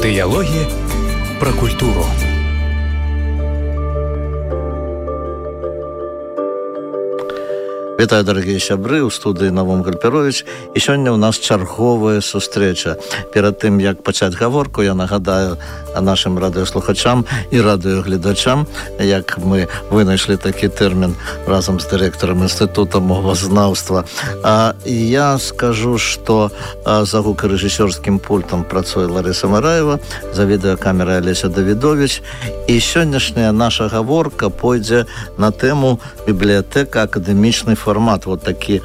Дыялогі пра культуру. Вітаю, дарагія сябры, у студыі Навум Гальперович. І сёння ў нас чарговая сустрэча. Перад тым, як пачаць гаворку, я нагадаю нашим радыёслухачам і радыёгледачам, як мы вынайшлі такі тэрмін разам з дырэктарам Інстытута мовазнаўства. Я скажу, што за гукарэжысёрскім пультам працуе Ларыса Мараева, за відэакамерай Алеся Давідович. І сённяшняя наша гаворка пойдзе на тэму бібліятэка акадэмічнай формат. Вот такі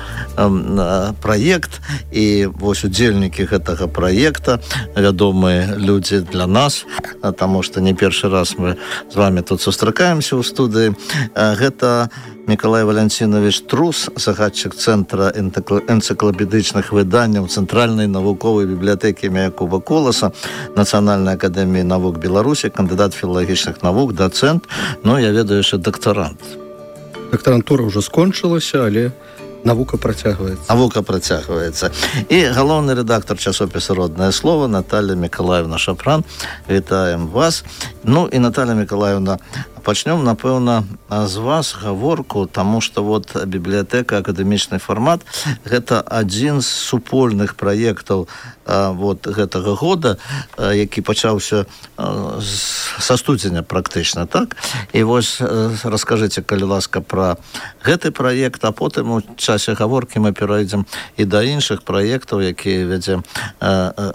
праект, і вось удзельнікі гэтага праекта, вядомыя людзі для нас, таму што не першы раз мы з вами тут сустракаемся ў студыі. Гэта Мікалай Валянцінович Трус, загадчык Цэнтра энцыклапедычных выданняў Цэнтральнай навуковай бібліятэкі імя Якуба Коласа, Нацыянальнай акадэміі навук Беларусі, кандыдат філалагічных навук, дацэнт, ну, я ведаю, яшчэ дактарант. Дактарантура ўжо скончылася, але навука працягваецца. Навука працягваецца. І галоўны рэдактар часопіса «Роднае слово» Наталья Мікалаевна Шапран. Вітаем вас. Ну і Наталья Мікалаевна, пачнём, напэўна, з вас гаворку, таму што вот бібліятэка акадэмічны фармат гэта адзін з супольных праектаў вот гэтага года, які пачаўся са студзеня практычна, так? І вось раскажыце, калі ласка, пра гэты праект, а потым у часе гаворкі мы перайдзем і да іншых праектаў, якія вядзе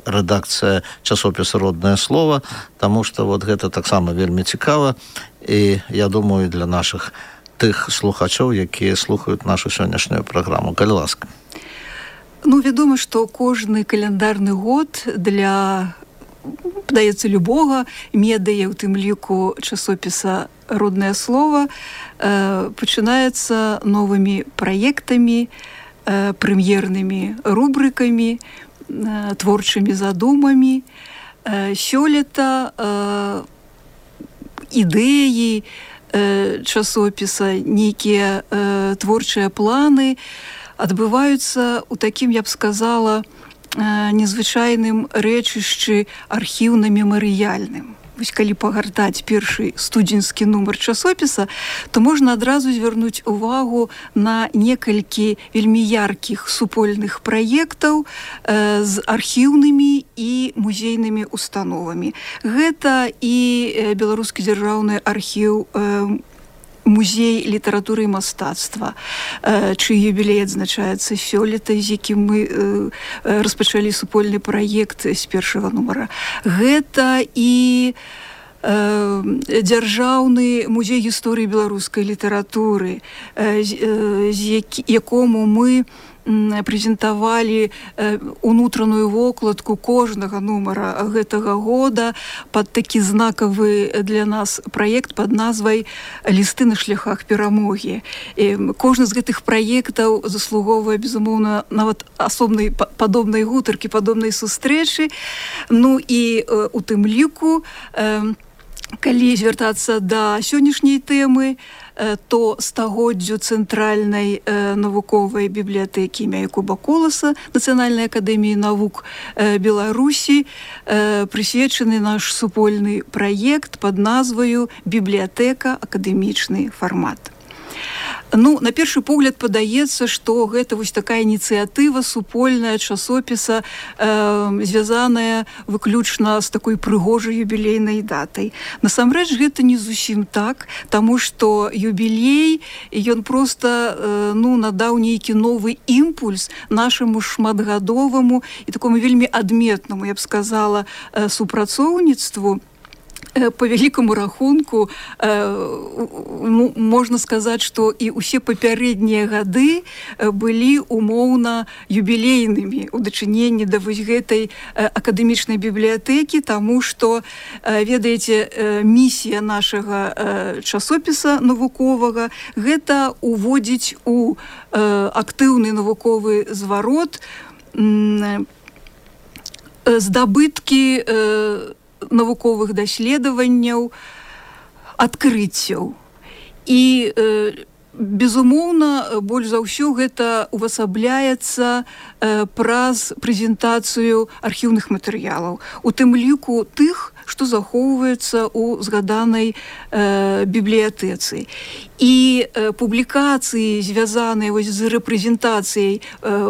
рэдакцыя часопіса «Роднае слово», таму што вот гэта таксама вельмі цікава. І я думаю, для наших тых слухачоў, якія слухаюць нашу сённяшнюю праграму. Калі ласка. Ну, вядома, што кожны каляндарны год для, падаецца, любога медыя, у тым ліку часопіса «Роднае слово», пачынаецца новымі праектамі, прэм'ернымі рубрыкамі, творчымі задумамі. Сёлета ідэі часопіса, нейкія творчыя планы адбываюцца ў такім, я б сказала, незвычайным рэчышчы архіўна-мемарыяльным. Вось калі пагартаць першы студзеньскі нумар часопіса, то можна адразу звярнуць увагу на некалькі вельмі яркіх супольных праектаў з архіўнымі і музейнымі установамі. Гэта і Беларускі дзяржаўны архіў, музей літаратуры і мастацтва, чый юбілей адзначаецца сёлета, з якім мы распачалі супольны праект з першага нумара. Гэта і дзяржаўны музей гісторыі беларускай літаратуры, якому мы прэзентавалі унутраную вокладку кожнага нумара гэтага года пад такі знакавы для нас праект пад назвай «Лісты на шляхах перамогі». Кожны з гэтых праектаў заслугоўвае, безумоўна, нават асобнай падобнай гутаркі, падобнай сустрэчы. Ну і у тым ліку, калі звяртацца да сённяшняй тэмы, то стагоддзю Цэнтральнай навуковай бібліятэкі імя Якуба Коласа Нацыянальнай акадэміі навук Беларусі прысвечаны наш супольны праект пад назваю «Бібліятэка акадэмічны фармат». Ну, на першы погляд падаецца, што гэта вось такая ініцыятыва супольная часопіса, звязаная выключна з такой прыгожай юбілейнай датай. Насамрэч, гэта не зусім так, таму што юбілей, ён проста надаў нейкі новы імпульс нашаму шматгадоваму і такому вельмі адметнаму, я б сказала, супрацоўніцтву. По вялікаму рахунку можна сказаць, што і ўсе папярэднія гады былі умоўна юбілейнымі ў дачыненні да вось гэтай акадэмічнай бібліятэкі, таму што, ведаеце, місія нашага часопіса навуковага гэта уводзіць у актыўны навуковы зварот здабыткі навуковых даследаванняў, адкрыццяў. І безумоўна, больш за ўсё гэта увасабляецца праз прэзентацыю архіўных матэрыялаў, у тым ліку тых, што захоўваецца ў згаданай бібліятэцы. І публікацыі, звязаныя з рэпрэзентацыяй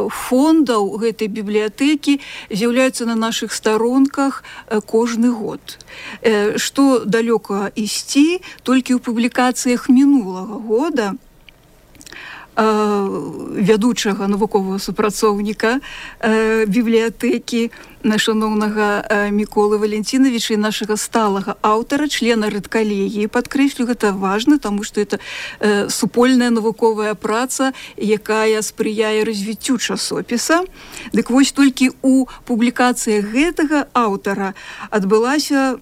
фондаў гэтай бібліятэкі, з'яўляюцца на нашых старонках кожны год. Што далёка ісці, толькі ў публікацыях мінулага года вядучага навуковага супрацоўніка бібліятэкі шаноўнага Міколы Валентиновича і нашага сталага аўтара, члена рэдкалегіі. Падкрэслю, гэта важна, таму што это супольная навуковая праца, якая спрыяе развіццю часопіса. Дык вось толькі ў публікацыях гэтага аўтара адбылося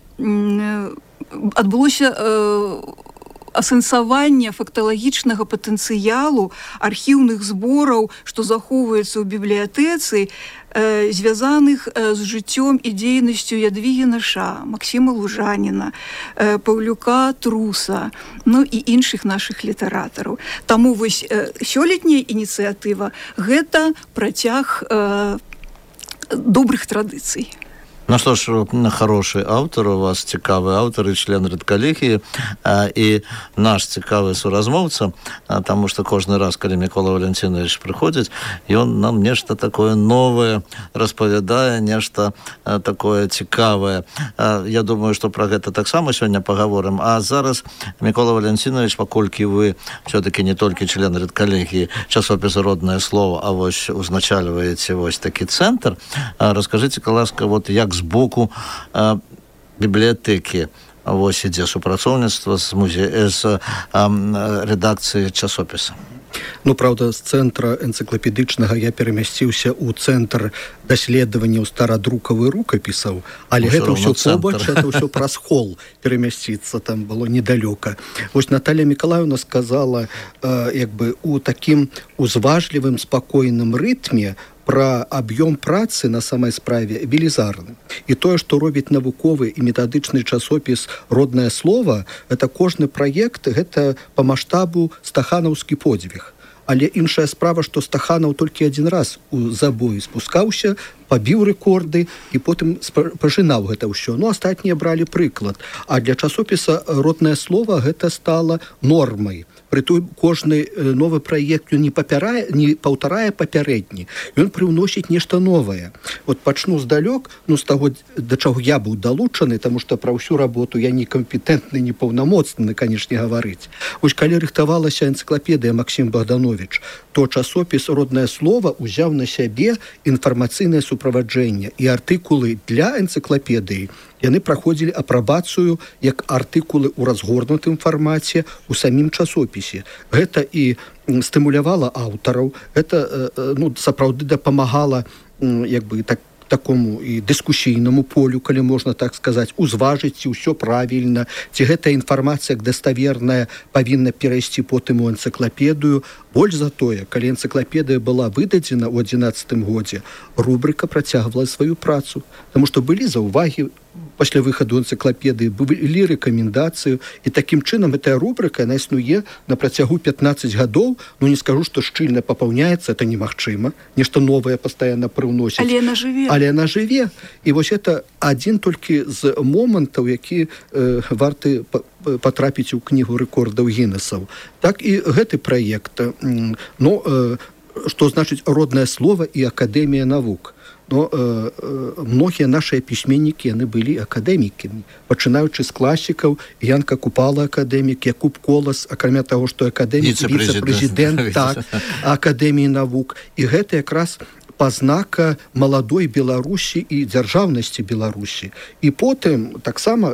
асэнсаванне факталагічнага патэнцыялу архіўных збораў, што захоўваецца ў бібліятэцы, звязаных з жыццём і дзейнасцю Ядвігі Наша, Максіма Лужаніна, Паўлюка Труса, ну і іншых нашых літаратараў. Таму вось сёлетняя ініцыятыва – гэта працяг добрых традыцый. Ну что ж, хороший автор, у вас цікавый автор и член редколлегии, и наш цікавый суразмовца, потому что каждый раз, когда Микола Валентинович приходит, и он нам нечто такое новое распавядае, нечто такое цікавое. Я думаю, что про это так само сегодня поговорим. А зараз, Микола Валентинович, покольки вы все-таки не только член редколлегии часописа «Родное слово», а вось узначальваете вось таки центр, расскажите, ласка, вот як збоку бібліятэкі вось ідзе супрацоўніцтва з рэдакцыі часопіса. Ну, правда, з цэнтра энцыклапедычнага я перамясціўся ў цэнтр даследаванняў старадрукавых рукапісаў, але гэта ўсё побач, это ўсё праз хол перамясціцца, там было недалёка. Вось Наталья Мікалаевна сказала, у такім узважлівым, спакойным рытме пра аб'ём працы на самай справе велізарны. І тое, што робіць навуковы і метадычны часопіс «Родное слово», это кожны праект, гэта па маштабу стаханаўскі подзвіг. Але іншая справа, што Стаханаў толькі адзін раз у забой спускаўся, пабіў рэкорды і потым пажынаў гэта ўсё. Ну, астатнія бралі прыклад. А для часопіса «Родное слово» гэта стала нормай. Прытым кожны новы праект не паўтарае папярэдні. Ён прыўносіць нешта новае. Вот пачну здалёк, ну, з таго, да чаго я быў далучаны, таму што пра ўсю работу я не кампетэнтны, не паўнамоцны, канешне, гаварыць. Вось калі рыхтавалася энцыклапедыя Максім Богданович, то часопіс «Родное слово» узяў на сябе інфармацыйнае суправаджэнне і артыкулы для энцыклапедыі. Яны праходзілі апрабацыю як артыкулы ў разгорнутым фармаце ў самім часопісе. Гэта і стымулявала аўтараў, гэта сапраўды дапамагала такому і дыскусійнаму полю, калі можна так сказаць, узважыць, ці ўсё правільна, ці гэтая інфармацыя даставерная павінна перайсці потым у энцыклапедыю. Больш за тое, калі энцыклапедыя была выдадзена ў 2011 годзе, рубрыка працягвала сваю працу, таму што былі заўвагі пасля выхаду энцыклапедыі, былі рэкамендацыі, і такім чынам гэтая рубрыка, яна існуе на працягу 15 гадоў, ну не скажу, што шчыльна папаўняецца, это немагчыма, нешта новае пастаянна прыўносіць. Але яна жыве. І вось это адзін толькі з момантаў, які варты патрапіць у кнігу рэкордаў Гіннесаў. Так і гэты праект, што значыць «Родное слово» і Акадэмія навук. Но многія нашыя пісьменнікі, яны былі акадэмікамі, пачынаючы з класікаў, Янка Купала акадэмік, Якуб Колас, акрамя таго, што акадэмік, віцэ-прэзідэнт Акадэміі навук. І гэта якраз пазнака маладой Беларусі і дзяржаўнасці Беларусі. І потым таксама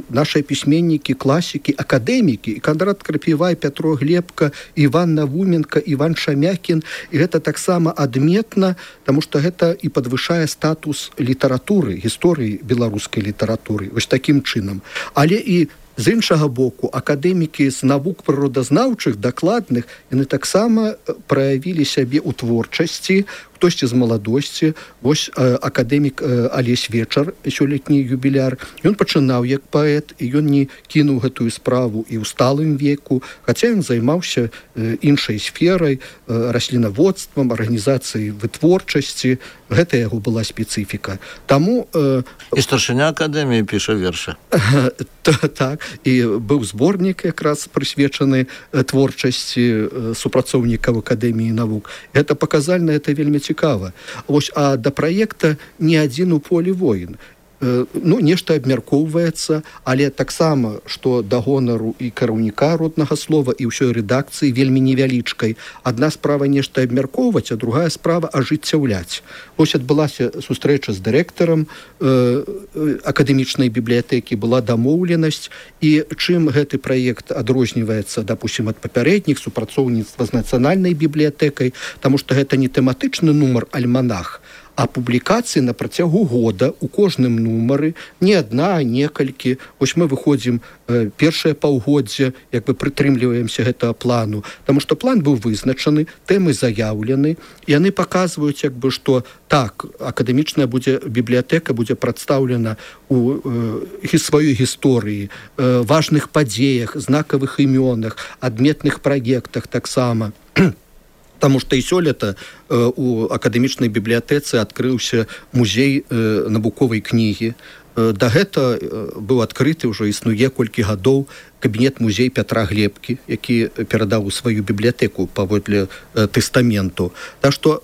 нашыя пісьменнікі, класікі, акадэмікі, і Кандрат Крапівай, Пятро Глебка, Іван Навуменка, Іван Шамякін. І гэта таксама адметна, таму што гэта і падвышае статус літаратуры, гісторыі беларускай літаратуры. Вось такім чынам. Але і з іншага боку, акадэмікі з навук прыродазнаўчых, дакладных, яны таксама праявілі сябе ў творчасці, хтосьці з маладосці. Вось акадэмік Алесь Вечар, сёлетні юбіляр, ён пачынаў як паэт, і ён не кінуў гэтую справу і ў сталым веку, хаця ён займаўся іншай сферай, раслінаводствам, арганізацыяй вытворчасці. Гэта яго была спецыфіка. Таму... І старшыня акадэміі піша вершы. Так, і быў зборнік якраз прысвечаны творчасці супрацоўнікаў Акадэміі навук. Гэта паказальна, это вельмі цікава. Вось, а да праекта не адзін у полі воін. Нешта абмяркоўваецца, але таксама, што да гонару і кіраўніка роднага слова і ўсёй рэдакцыі вельмі невялічкай. Адна справа нешта абмяркоўваць, а другая справа ажыццяўляць. Вось адбылася сустрэча з дырэктарам акадэмічнай бібліятэкі, была дамоўленасць, і чым гэты праект адрозніваецца, допустим, ад папярэдніх супрацоўніцтва з нацыянальнай бібліятэкай, таму што гэта не тэматычны нумар альманах, а публікацыі на працягу года у кожным нумары, не адна, а некалькі. Вось мы выходзім першае паўгоддзе, як бы прытрымліваемся гэтага плану, таму што план быў вызначаны, тэмы заяўлены, і яны паказваюць, як бы, што так, акадэмічная бібліятэка будзе прадстаўлена у сваёй гісторыі, важных падзеях, знакавых імёнах, адметных праектах таксама. Таму што і сёлета у акадэмічнай бібліятэцы адкрыўся музей навуковай кнігі. Да гэта быў адкрыты, ўжо існуе колькі гадоў, кабінет-музей Пятра Глебкі, які перадаў у сваю бібліятэку паводле тэстаменту. Так што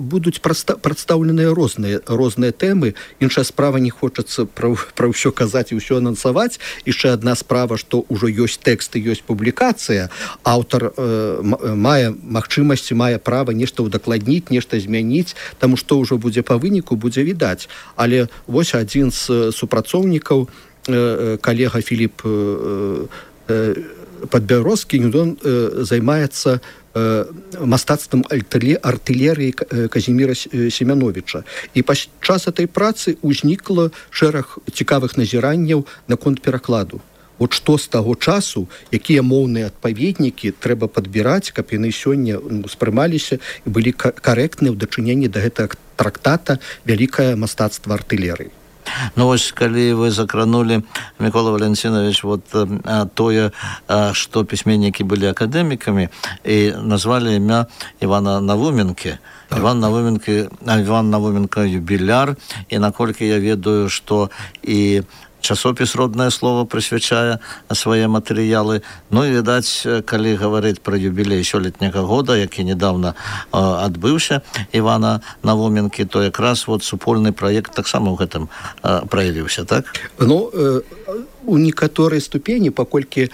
будуць прадстаўленыя розныя тэмы. Іншая справа, не хочацца пра ўсё казаць і ўсё анансаваць. Яшчэ адна справа, што ўжо ёсць тэкст і ёсць публікацыя. Аўтар мае магчымасці, мае права нешта ўдакладніць, нешта змяніць, таму што ўжо будзе па выніку, будзе відаць. Але вось адзін з супрацоўнікаў, калега Філіп Падбярозкі, ён займаецца мастацтвам артылерыі Казіміра Семяновіча. І падчас этой працы ўзнікла шэраг цікавых назіранняў наконт перакладу. От што з таго часу, якія моўныя адпаведнікі трэба падбіраць, каб яны сёння ўспрымаліся і былі карэктныя ў дачыненні да гэтага трактата «Вялікае мастацтва артылерыі». Ну вось, калі вы закранули, Микола Валентинович, вот тое, што пісьменнікі былі акадэмікамі, і назвалі імя Івана Навуменкі. Іван Навуменко юбіляр, і наколькі я ведаю, што і часопіс «Роднае слово» прысвячае свае матэрыялы. Ну і, відаць, калі гаварыць пра юбілей сёлетняга года, які недавно адбыўся Івана Навуменкі, то якраз вот супольны праект таксама ў гэтым праявіўся, так? Ну, у некаторай ступені, паколькі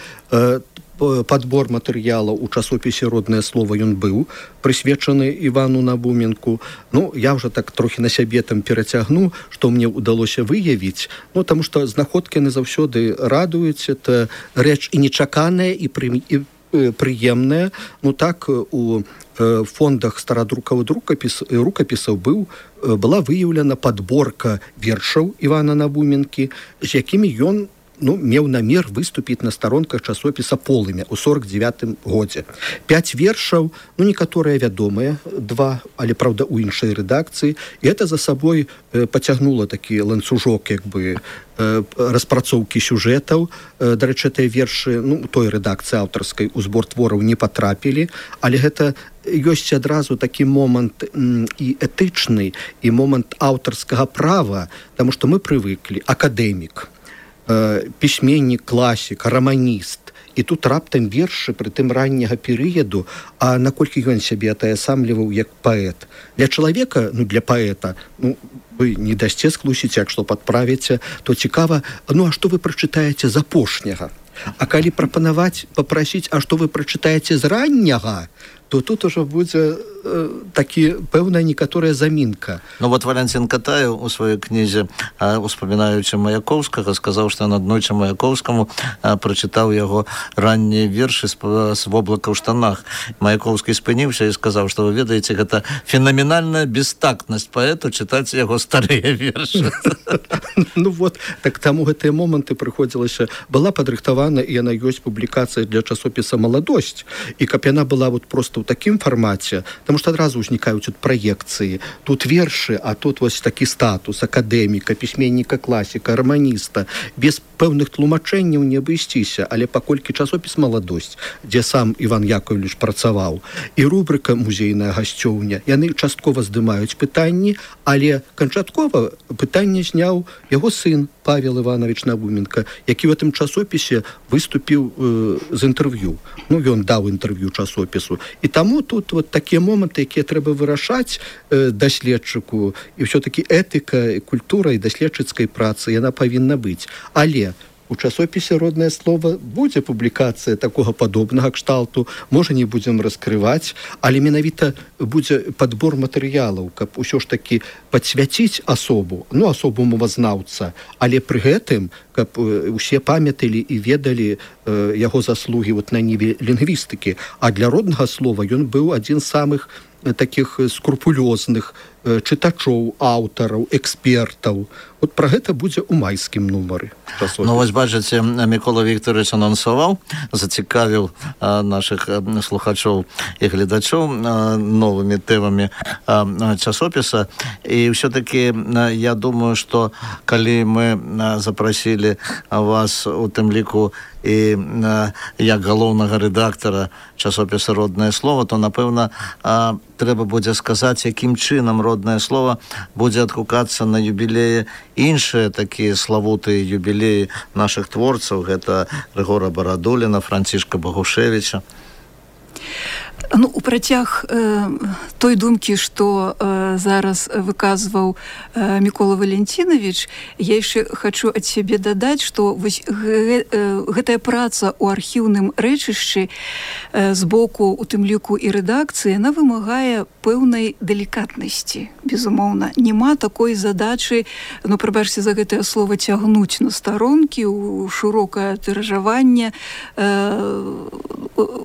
падбор матэрыялаў у часопісе «Роднае слово» ён быў прысвечаны Івану Навуменку. Ну, я ўжо так трохі на сябе там перацягну, што мне ўдалося выявіць. Ну, таму што знаходкі яны заўсёды радуюць. Это рэч і нечаканая, і прыемная. Ну, так, у фондах старадрукавых рукапісаў была выяўлена падборка вершаў Івана Навуменкі, з якімі ён меў намер выступіць на старонках часопіса «Полымя» ў 49-м годзе. 5 вершаў, некаторыя вядомыя, 2, але, праўда, у іншай рэдакцыі. І гэта за сабой пацягнула такі ланцужок, як бы, распрацоўкі сюжэтаў. Дарэчы, тыя вершы, той рэдакцыі аўтарскай у збор твораў не патрапілі, але гэта ёсць адразу такі момант і этычны, і момант аўтарскага права, таму што мы прывыклі, акадэмік, пісьменнік, класік, раманіст. І тут раптам вершы пры тым ранняга перыяду, а наколькі ён сябе атаясамліваў як паэт. Для чалавека, для паэта, вы не дасце склусіць, як што падправіце, то цікава, а што вы прачытаеце з апошняга? А калі папрасіць, а што вы прачытаеце з ранняга, то тут ужо будзе такі пэўная некаторая замінка. Ну вот Валентин Катаев у сваёй кнізе, успамінаючы Маяковскага, сказаў, што аднойчы Маяковскаму прачытаў яго раннія вершы з воблака ў штанах. Маяковскі спыніўся і сказаў, што вы ведаеце, гэта фенаменальная бестактнасць паэту чытаць яго старыя вершы. Ну вот, так таму гэтыя моманты прыходзілася. Была падрыхтавана апублікавана, і яна ёсць публікацыя для часопіса «Маладосць». І каб яна была вот просто ў такім фармаце, таму што адразу ўзнікаюць праекцыі. Тут вершы, а тут вось такі статус акадэміка, пісьменніка, класіка, раманіста. Без пэўных тлумачэнняў не абысціся, але паколькі часопіс «Маладосць», дзе сам Іван Яковлевич працаваў, і рубрыка «Музейная гасцёўня», яны часткова здымаюць пытанні, але канчаткова пытанне зняў яго сын Павел Иванович Науменко, які в этом часопісе выступіў з інтэрв'ю. Ну, ён даў інтэрв'ю часопісу. І таму тут вот такія моманты, якія трэба вырашаць даследчыку, і ўсё-такі этыка, культура і даследчыцкай працы, яна павінна быць. Але у часопісе «Роднае слово» будзе публікацыя такога падобнага кшталту, можа, не будзем раскрываць, але менавіта будзе падбор матэрыялаў, каб усё ж такі падсвяціць асобу, ну, асобу мовазнаўца, але пры гэтым, каб усе памяталі і ведалі яго заслугі вот на ніве лінгвістыкі. А для «Роднага слова» ён быў адзін з самых таких скрупулёзных чытачоў, аўтараў, экспертаў. Вот пра гэта будзе ў майскім нумары. Ну, вось бачыце, Мікола Вікторович анансаваў, зацікавіў нашых слухачоў і гледачоў новымі тэмамі часопіса. І ўсё-такі я думаю, што калі мы запрасілі вас у тым ліку і як галоўнага рэдактара часопіса «Роднае слово», то, напэўна, трэба будзе сказаць, якім чынам «Роднае слово» будзе адгукацца на юбілеі іншыя такія славутыя юбілеі нашых творцаў. Гэта Рыгора Барадуліна, Францішка Багушевіча. Ну, у працяг той думкі, што зараз выказваў Мікола Валентинович, я яшчэ хачу ад сябе дадаць, што вось гэтая праца ў архіўным рэчышчы з боку, у тым ліку і рэдакцыі, яна вымагае пэўнай далікатнасці. Безумоўна, няма такой задачы, ну, прабачце за гэтае слово, цягнуць на старонкі, у шырокае тыражаванне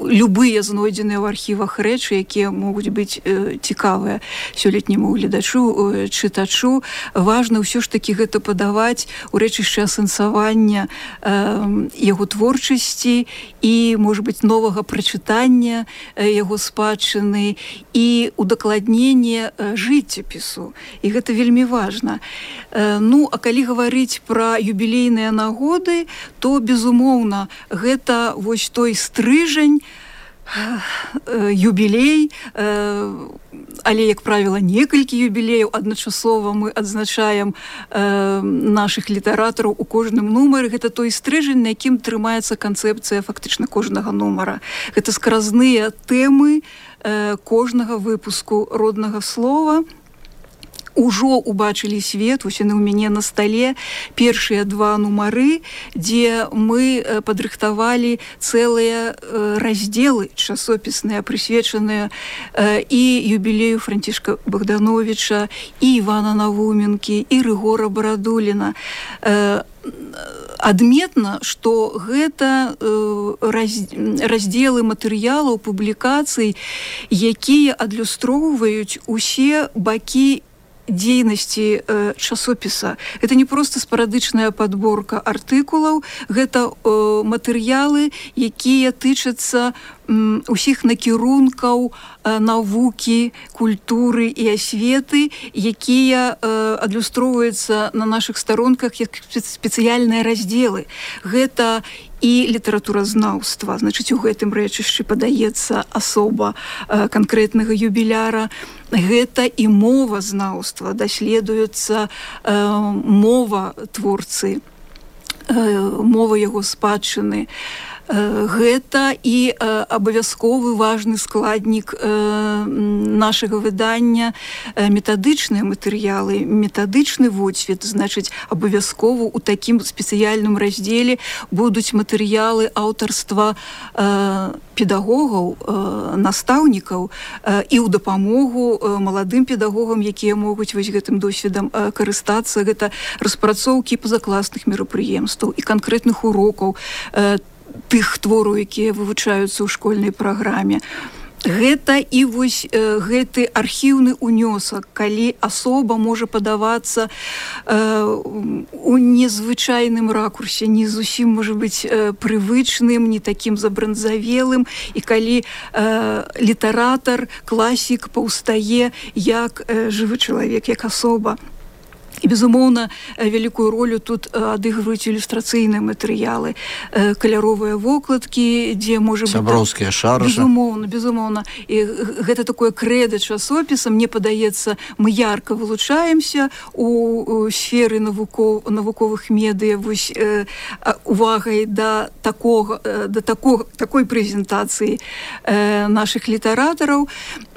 любыя знойдзеныя ў архівах рэчы, якія могуць быць цікавыя сёлетняму гледачу, чытачу. Важна ўсё ж такі гэта падаваць у рэчышчы асэнсавання яго творчасці і, можа быць, новага прачытання яго спадчыны і удакладнення жыццяпісу. І гэта вельмі важна. Ну, а калі гаварыць пра юбілейныя нагоды, то, безумоўна, гэта вось той стрыжань, юбілей, але, як правіла, некалькі юбілеяў адначасова мы адзначаем нашых літаратараў у кожным нумары. Гэта той стрыжань, на якім трымаецца канцэпцыя фактычна кожнага нумара. Гэта скразныя тэмы кожнага выпуску «Роднага слова». Ужо убачылі свет, вось яны ў мяне на стале, першыя 2 нумары, дзе мы падрыхтавалі цэлыя раздзелы часопісныя, прысвечаныя і юбілею Францішка Богдановича, і Івана Науменкі, і Рыгора Барадуліна. Адметна, што гэта раздзелы матэрыялаў, публікацый, якія адлюстроўваюць усе бакі дзейнасці часопіса. Гэта не проста спарадычная падборка артыкулаў, гэта матэрыялы, якія тычацца усіх накірункаў навукі, культуры і асветы, якія адлюстроўваюцца на нашых старонках як спецыяльныя раздзелы. Гэта і літаратуразнаўства, значыць, у гэтым рэчышчы падаецца асоба канкрэтнага юбіляра. Гэта і мовазнаўства, даследуецца мова творцы, мова яго спадчыны. Гэта і абавязковы важны складнік нашага выдання метадычныя матэрыялы, метадычны водсвет. Значыць, абавязкова ў такім спецыяльным раздзеле будуць матэрыялы аўтарства педагогаў, настаўнікаў і ў дапамогу маладым педагогам, якія могуць вось гэтым досведам карыстацца. Гэта распрацоўкі пазакласных мерапрыемстваў і канкрэтных урокаў, тых твораў, якія вывучаюцца ў школьнай праграме. Гэта і вось гэты архіўны унёсак, калі асоба можа падавацца у незвычайным ракурсе, не зусім можа быць прывычным, не такім забранзавелым, і калі літаратар, класік паўстае як жывы чалавек, як асоба. І, безумоўна, вялікую ролю тут адыгрываюць ілюстрацыйныя матэрыялы, каляровыя вокладкі, дзе можа быць... Сяброўскія шаржы. Безумоўна. І гэта такое крэда часопіса. Мне падаецца, мы ярка вылучаемся у сферы навуковых медыя вось увагай да такой прэзентацыі нашых літаратараў.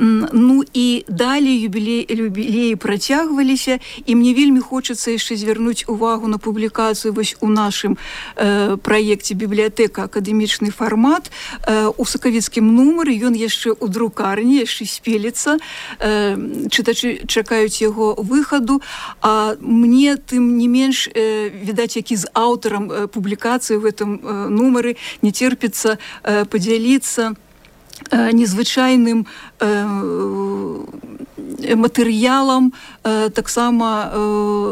Ну і далей юбілеі працягваліся, і мне вельмі хочацца яшчэ звярнуць увагу на публікацыю вось у нашым праекце «Бібліятэка. Акадэмічны фармат». У сакавіцкім нумары ён яшчэ ў друкарні, яшчэ спеліцца. Чытачы чакаюць яго выхаду, а мне тым не менш, відаць, які з аўтарам публікацыі в гэтым нумары не терпіцца падзяліцца незвычайным матэрыялам таксама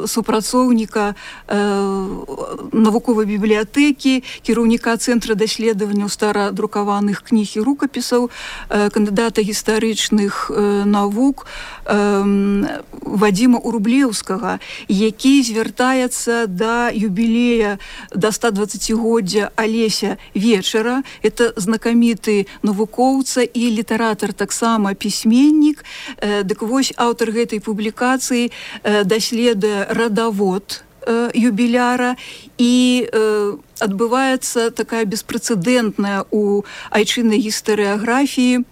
супрацоўніка навуковай бібліятэкі, кіраўніка Цэнтра даследаванняў старадрукаваных кніг і рукапісаў, кандыдата гістарычных навук Вадзіма Урублеўскага, які звяртаецца да юбілея, да 120-годдзя Алеся Вечара. Это знакаміты навукоўца і літаратар, таксама пісьменнік. Дык вось аўтар гэтай публікацыі даследуе радавод юбіляра, і адбываецца такая беспрэцэдэнтная у айчыннай гістарыяграфіі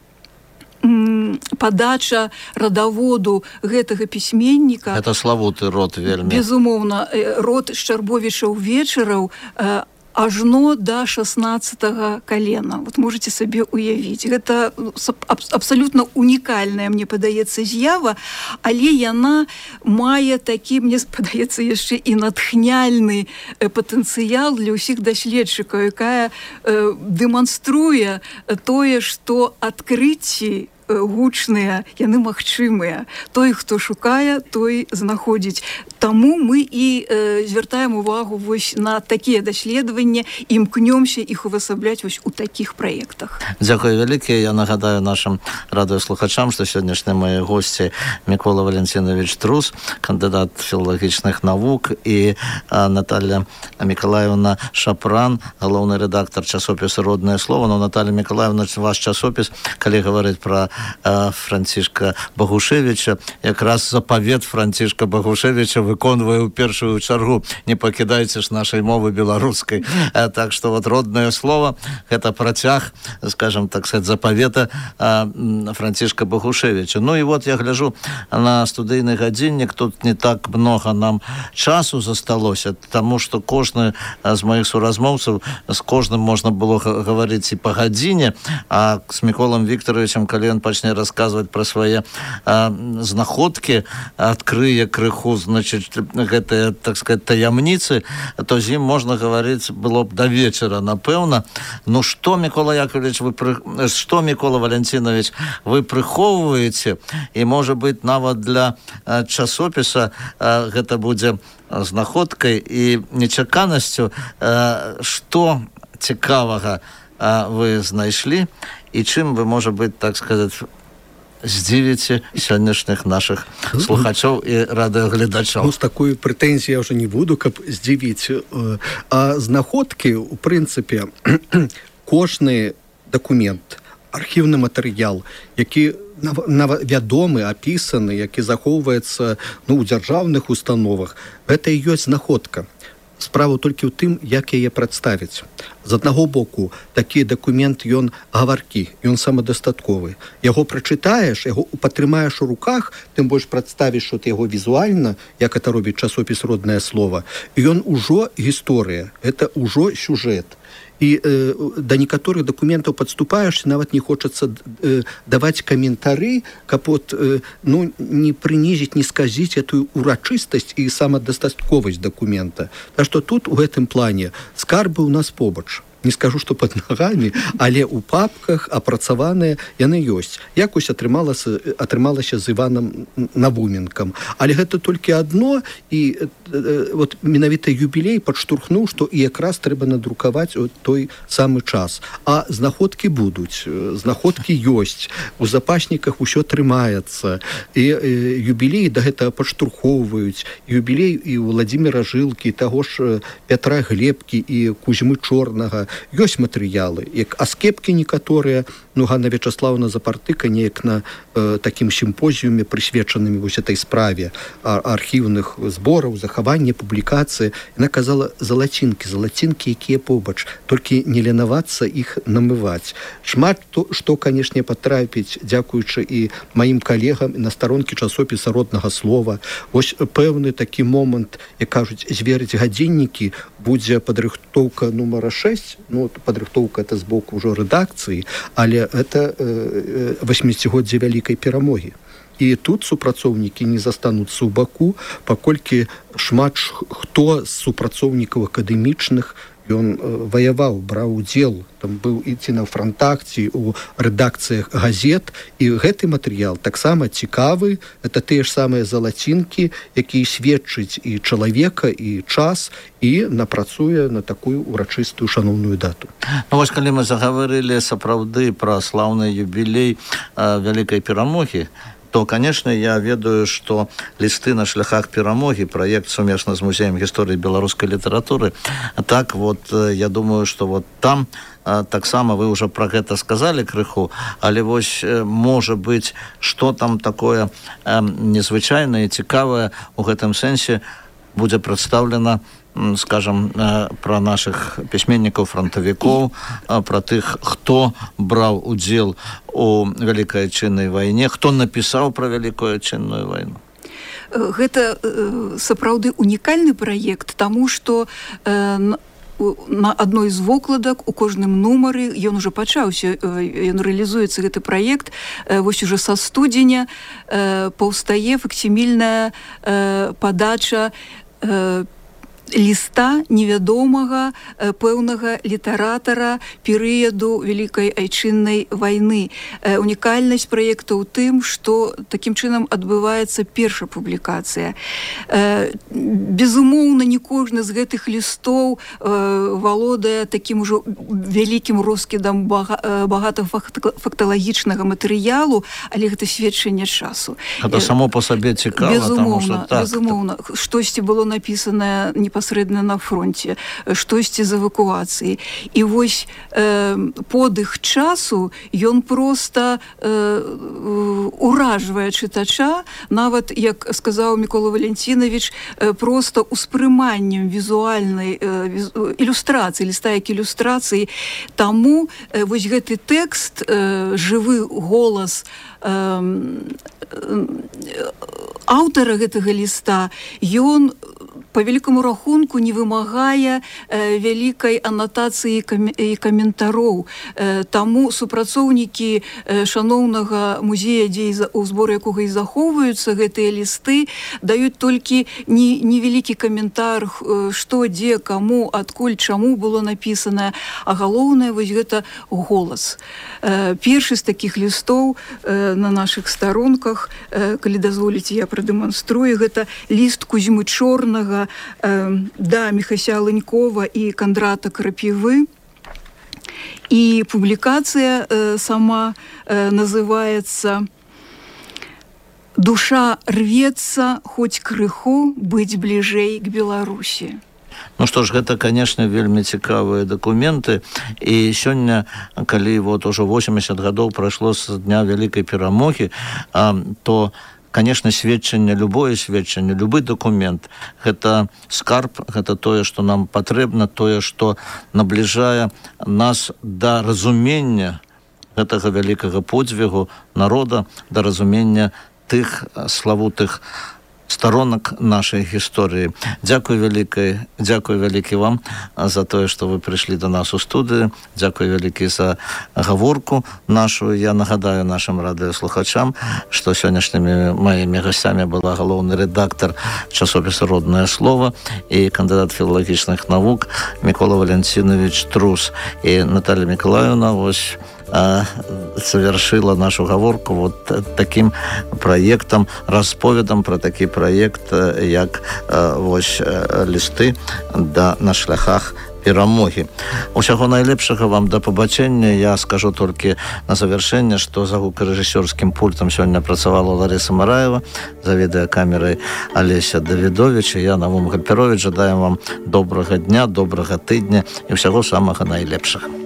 падача радаводу гэтага пісьменніка. Это славуты род вельмі. Безумоўна, род Шчарбовічаў-Вечараў ажно да 16-го калена. Вот можете сабе уявіць. Гэта абсалютна унікальная, мне падаецца, з'ява, але яна мае такі, мне падаецца, яшчэ і натхняльны патэнцыял для ўсіх даследчыкаў, якая дэманструе тое, што адкрыцці гучныя, яны магчымыя. Той, хто шукае, той знаходзіць. Таму мы і звяртаем увагу вось на такія даследаванні, імкнёмся іх увасабляць вось у такіх праектах. Дзякую вялікія. Я нагадаю нашим радыёслухачам, што сённяшнія мае госці Мікола Валентинович Трус, кандыдат філалагічных навук, і Наталья Миколаевна Шапран, галоўны рэдактар часопіса «Роднае слово». Но, Наталья Миколаевна, ваш часопіс, калі гаварыць пра Францішка Багушевіча, якраз запавет Францішка Багушевіча выконвае ў першую чаргу: не пакідайце ж нашай мовы беларускай. Так што вот «Роднае слово» — гэта працяг, скажем так сказать, запавета Францішка Багушевіча. Ну і вот я гляжу на студыйны гадзіннік, тут не так много нам часу засталося, таму што кожны з маіх суразмоўцаў, з кожным можна было гаварыць і па гадзіне, а з Міколам Віктаровичам, калі ён пачне расказваць пра свае знаходкі, адкрые крыху, значит, гэтыя, так сказать, таямніцы, то з ім можна гаварыць было б да вечара, напэўна. Ну што, Мікола Яковлевич, што, Мікола Валентинович, вы прыхоўваеце, і, можа быць, нават для часопіса гэта будзе знаходкай і нечаканасцю, што цікавага вы знайшлі, і чым вы, можа быць, так сказаць, здзівіце сённяшніх наших слухачоў і радыёгледачоў. Ну, з такой прэтэнзіяй я ўжо не буду, каб здзівіць. А знаходкі, у прынцыпе, кожны дакумент, архіўны матэрыял, які вядомы, апісаны, які захоўваецца ў дзяржаўных установах, гэта і ёсць знаходка. Справа толькі ў тым, як яе прадставіць. З аднаго боку, такі дакумент, ён гаваркі, ён самадастатковы. Яго прачытаеш, яго патрымаеш у руках, тым больш прадставіш яго візуальна, як это робіць часопіс «Роднае слово», ён ужо гісторыя, это ўжо сюжэт. І да некаторых дакументаў падступаешся, нават не хочацца даваць каментары, каб не прынізіць, не сказіць эту урачыстасць і самадастатковасць дакумента. Так што тут у гэтым плане скарбы ў нас побач. не скажу, што пад нагамі, але ў папках апрацаваныя яны ёсць. Якось атрымалася з Іванам Навуменкам. Але гэта толькі адно, і вот менавіта юбілей падштурхнуў, што і якраз трэба надрукаваць у той самы час. А знаходкі будуць, знаходкі ёсць, у запасніках усё трымаецца, і юбілей да гэтага падштурхоўваюць, юбілей і Владзіміра Жылкі, таго ж Пятра Глебкі і Кузьмы Чорнага. Ёсць матэрыялы, як аскепкі некаторыя, Ганна Вячаслаўна Запартыка неяк на такім сімпозіуме, прысвечанымі вось этой справе архіўных збораў, захавання, публікацыі. Яна казала залацінкі, якія побач, толькі не ленавацца іх намываць. Шмат што, канешне, патрапіць, дзякуючы і маім калегам на старонкі часопіса Роднага слова. Вось пэўны такі момант, як кажуць, зверыць гадзіннікі, будзе падрыхтоўка нумара 6, падрыхтоўка это з боку ўжо рэдакцыі, але это 80-годдзе вялікай перамогі. І тут супрацоўнікі не застануцца ў баку, паколькі шмат хто з супрацоўнікаў акадэмічных ён ваяваў, браў удзел, там быў і ці на франтах, ці ў рэдакцыях газет, і гэты матэрыял таксама цікавы, это тыя ж самыя залацінкі, якія сведчаць і чалавека, і час, і напрацуе на такую урачыстую шаноўную дату. Вось калі мы загаварылі сапраўды пра слаўны юбілей вялікай перамогі, то, конечно, я ведаю, что листы на шляхах перамоги, проект сумесна з Музеем гісторыі беларускай літаратуры, так вот, я думаю, что вот там таксама вы уже про гэта сказали крыху, але вось, можа быть, что там такое незвычайнае, цікавае у гэтым сэнсе будзе прадстаўлена, скажем, про наших письменников, фронтовиков, про тых, хто браў удзел у Вялікай Адчыннай вайне, хто напісаў про Вялікую Адчынную вайну. Гэта сапраўды унікальны праект, таму што на адной з вокладак у кожным нумары ён уже пачаўся, ён рэалізуецца гэты праект, вось уже са студзеня паўстае факсімільная падача ліста невядомага пэўнага літаратара перыяду Вялікай Айчыннай вайны. Унікальнасць праекта ў тым, што такім чынам адбываецца першая публікацыя. Безумоўна, не кожны з гэтых лістоў валодае такім ужо вялікім роскідам багатафакталагічнага матэрыялу, але гэта сведчанне часу. Гэта само па сабе цікава, таму што так. Безумоўна, штосьці было напісанае непасрэдна на фронте, штосьці з эвакуацыі. І вось подых часу ён проста уражвае чытача, нават, як сказаў Мікола Валентинович, проста успрыманнем візуальнай ілюстрацыі, ліста як ілюстрацыі. Таму вось гэты тэкст, жывы голас аўтара гэтага ліста, ён по вялікаму рахунку не вымагае вялікай анатацыі і каментароў. Таму супрацоўнікі шаноўнага музея, у зборы якога і захоўваюцца гэтыя лісты, даюць толькі невялікі каментар, што, дзе, каму, адкуль, чаму было напісанае, а галоўнае вось гэта голас. Першы з такіх лістоў на нашых старонках, калі дазволіце, я прадэманструю, гэта ліст Кузьмы Чорнага да Міхася Ленькова і Кандрата Крапівы. І публікацыя сама называецца «Душа рвецца, хоць крыху быць бліжэй к Беларусі». Ну што ж, гэта, конечно, вельмі цікавыя дакументы. І сёння, калі вот уже 80 гадоў прайшло з дня Вялікай перамогі, то конечно, сведчанне, любое сведчанне, любы документ, гэта скарб, гэта тое, што нам патрэбна, тое, што набліжае нас да разумення гэтага вялікага подзвігу народа, да разумення тых славутых сторонок нашей гісторыі. Дзякуй вялікі вам за тое, што вы прыйшлі до нас у студыю. Дзякуй вялікі за гаворку нашу. Я нагадаю нашим радыёслухачам, што сённяшнімі маімі гасцямі была галоўны рэдактор часопіса «Родное слово» і кандыдат філалагічных навук Микола Валентинович Трус. І Наталья Миколаевна совершила нашу гаворку вот таким проектом, расповедом про такі проект, як вось лісты на шляхах перамогі. Усяго найлепшага вам, да пабачэння. Я скажу толькі на завяршэнне, што за гукарэжысёрскім пультам сёння працавала Лариса Мараева, за відэакамерай Алеся Давідович, і я, Навум Гальперович, жадаем вам добрага дня, добрага тыдня і ўсяго самага найлепшага.